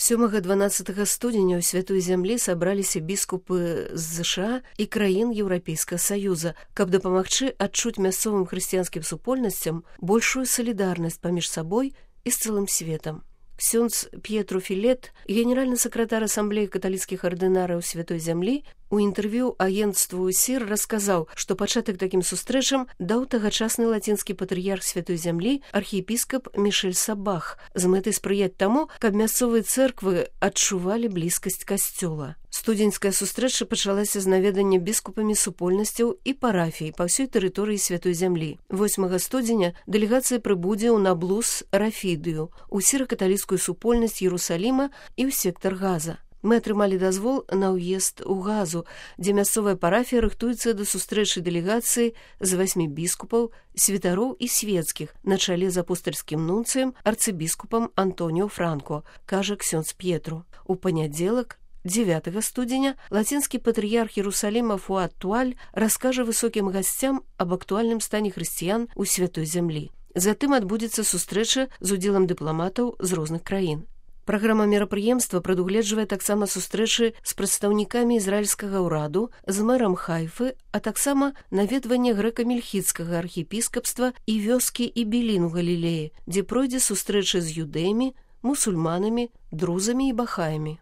7-12 студзеня ў святой зямлі сабраліся біскупы з ЗША і краін Еўрапейскага Саюза, каб дапамагчы адчуць мясцовым хрысціянскім супольнасцям большую салідарнасць паміж сабой і з цэлым светам. Ксёндз П'етру Філет, генеральны сакратар асамблеі каталіцкіх ардынараў святой зямлі, у інтэрв'ю агенцтву СІР расказаў, што пачатак такім сустрэчам даў тагачасны лацінскі патрыярх святой зямлі архіепіскап Мішэль Сабах з мэтай спрыяць таму, каб мясцовыя цэрквы адчувалі блізкасць касцёла. Студзеньская сустрэча пачалася з наведання біскупамі супольнасцяў і парафій па ўсёй тэрыторыі святой зямлі. 8 студзеня дэлегацыя прыбудзе ў Наблус Рафідыю, у сіра-каталіцкую супольнасць Іерусаліма і ў сектар Газа. Мы атрымалі дазвол на ўезд у Газу, дзе мясцовая парафія рыхтуецца да сустрэчы дэлегацыі з 8 біскупаў, святароў і свецкіх на чале з апостальскім нунцыем арцыбіскупам Антоніо Франко, кажа ксёндз П'етру. У панядзелак, 9 студзеня, лацінскі патрыярх Іерусаліма Фуад Туаль раскажа высокім гасцям аб актуальным стане хрысціян у святой зямлі. Затым адбудзецца сустрэча з удзелам дыпламатаў з розных краін. Праграма мерапрыемства прадугледжвае таксама сустрэчы з прадстаўнікамі ізраільскага ўраду, з мэрам Хайфы, а таксама наведванне грэка-мельхідскага архіепіскапства і вёскі Ібілін у Галілеі, дзе пройдзе сустрэча з юдэямі, мусульманамі, друзамі і бахаямі.